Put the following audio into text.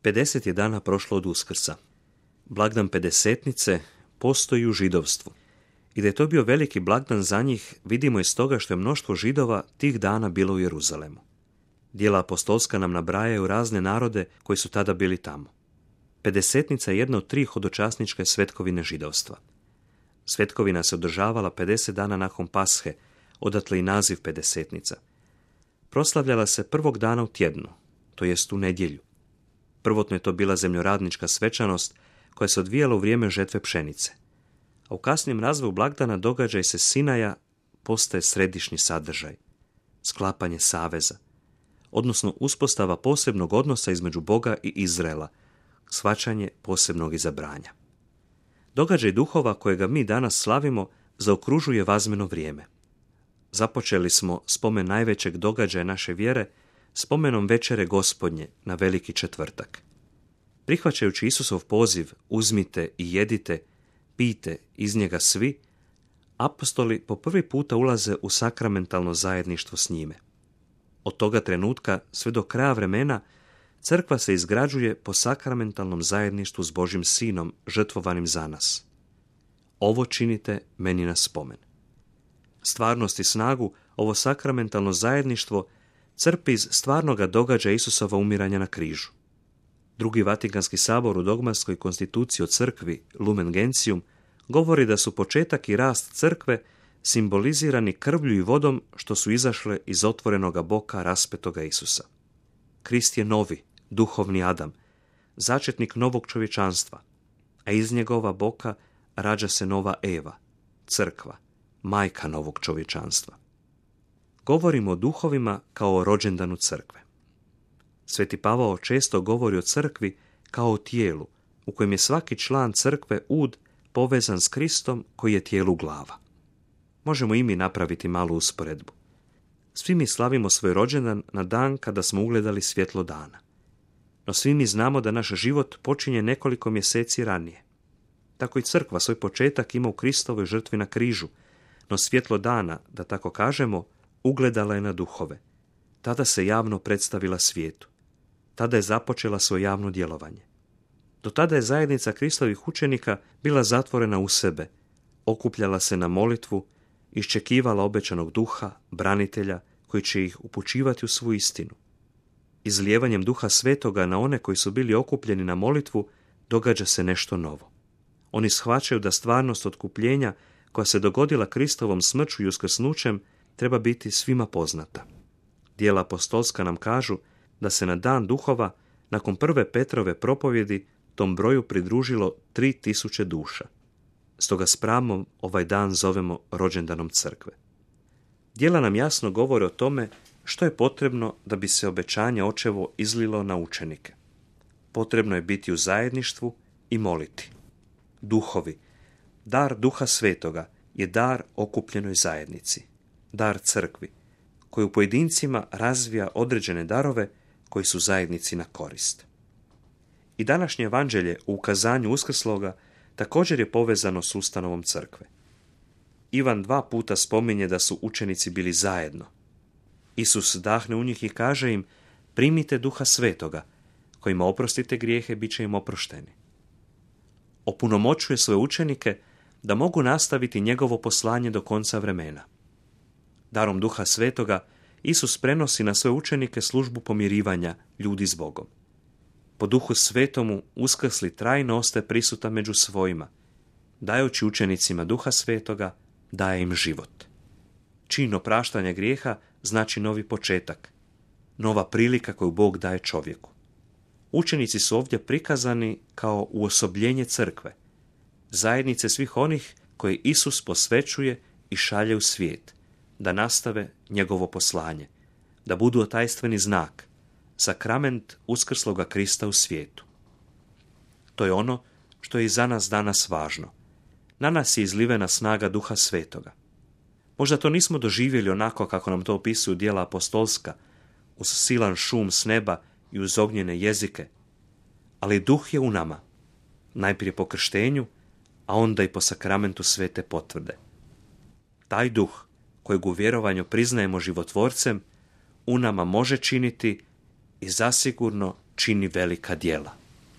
50 je dana prošlo od Uskrsa. Blagdan Pedesetnice postoji u židovstvu. I da je to bio veliki blagdan za njih, vidimo iz toga što je mnoštvo Židova tih dana bilo u Jeruzalemu. Djela apostolska nam nabrajaju razne narode koji su tada bili tamo. Pedesetnica je jedna od 3 hodočasničke svetkovine židovstva. Svetkovina se održavala 50 dana nakon Pashe, odatle i naziv Pedesetnica. Proslavljala se prvog dana u tjednu, to jest u nedjelju. Prvotno je to bila zemljoradnička svečanost koja se odvijala u vrijeme žetve pšenice. A u kasnijem razvoju blagdana događaj se Sinaja postaje središnji sadržaj. Sklapanje saveza, odnosno uspostava posebnog odnosa između Boga i Izraela, shvaćanje posebnog izabranja. Događaj duhova kojega mi danas slavimo zaokružuje vazmeno vrijeme. Započeli smo spomen najvećeg događaja naše vjere spomenom večere Gospodnje na Veliki četvrtak. Prihvaćajući Isusov poziv uzmite i jedite, pijte iz njega svi, apostoli po prvi puta ulaze u sakramentalno zajedništvo s njime. Od toga trenutka sve do kraja vremena crkva se izgrađuje po sakramentalnom zajedništvu s Božjim Sinom žrtvovanim za nas. Ovo činite meni na spomen. Stvarnost i snagu ovo sakramentalno zajedništvo crpi iz stvarnoga događaja Isusova umiranja na križu. Drugi Vatikanski sabor u dogmatskoj konstituciji o crkvi Lumen Gentium govori da su početak i rast crkve simbolizirani krvlju i vodom što su izašle iz otvorenoga boka raspetoga Isusa. Krist je novi, duhovni Adam, začetnik novog čovječanstva, a iz njegova boka rađa se nova Eva, crkva, majka novog čovječanstva. Govorimo o duhovima kao o rođendanu crkve. Sveti Pavao često govori o crkvi kao o tijelu, u kojem je svaki član crkve ud povezan s Kristom koji je tijelu glava. Možemo i mi napraviti malu usporedbu. Svi mi slavimo svoj rođendan na dan kada smo ugledali svjetlo dana. No svi mi znamo da naš život počinje nekoliko mjeseci ranije. Tako i crkva svoj početak ima u Kristovoj žrtvi na križu, no svjetlo dana, da tako kažemo, ugledala je na duhove. Tada se javno predstavila svijetu. Tada je započela svoje javno djelovanje. Do tada je zajednica Kristovih učenika bila zatvorena u sebe, okupljala se na molitvu, iščekivala obećanog duha, branitelja, koji će ih upućivati u svu istinu. Izlijevanjem duha svetoga na one koji su bili okupljeni na molitvu događa se nešto novo. Oni shvaćaju da stvarnost otkupljenja koja se dogodila Kristovom smrću i uskrsnućem treba biti svima poznata. Djela apostolska nam kažu da se na dan duhova, nakon prve Petrove propovjedi, tom broju pridružilo 3000 duša. Stoga s pravom ovaj dan zovemo rođendanom crkve. Djela nam jasno govore o tome što je potrebno da bi se obećanje očevo izlilo na učenike. Potrebno je biti u zajedništvu i moliti. Duhovi, dar Duha Svetoga je dar okupljenoj zajednici, dar crkvi, koji u pojedincima razvija određene darove koji su zajednici na korist. I današnje evanđelje u ukazanju uskrsloga također je povezano s ustanovom crkve. Ivan 2 puta spominje da su učenici bili zajedno. Isus dahne u njih i kaže im: primite Duha Svetoga, kojima oprostite grijehe, bit će im oprošteni. Opunomoćuje svoje učenike da mogu nastaviti njegovo poslanje do konca vremena. Darom Duha Svetoga Isus prenosi na svoje učenike službu pomirivanja ljudi s Bogom. Po Duhu Svetomu uskrsli trajno ostaje prisutan među svojima. Dajući učenicima Duha Svetoga, daje im život. Čin opraštanja grijeha znači novi početak, nova prilika koju Bog daje čovjeku. Učenici su ovdje prikazani kao uosobljenje crkve, zajednice svih onih koje Isus posvećuje i šalje u svijet, da nastave njegovo poslanje, da budu otajstveni znak, sakrament uskrsloga Krista u svijetu. To je ono što je i za nas danas važno. Na nas je izlivena snaga Duha Svetoga. Možda to nismo doživjeli onako kako nam to opisuju djela apostolska, uz silan šum s neba i uz ognjene jezike, ali Duh je u nama, najprije po krštenju, a onda i po sakramentu svete potvrde. Taj Duh, kojeg u vjerovanju priznajemo životvorcem, u nama može činiti i zasigurno čini velika djela.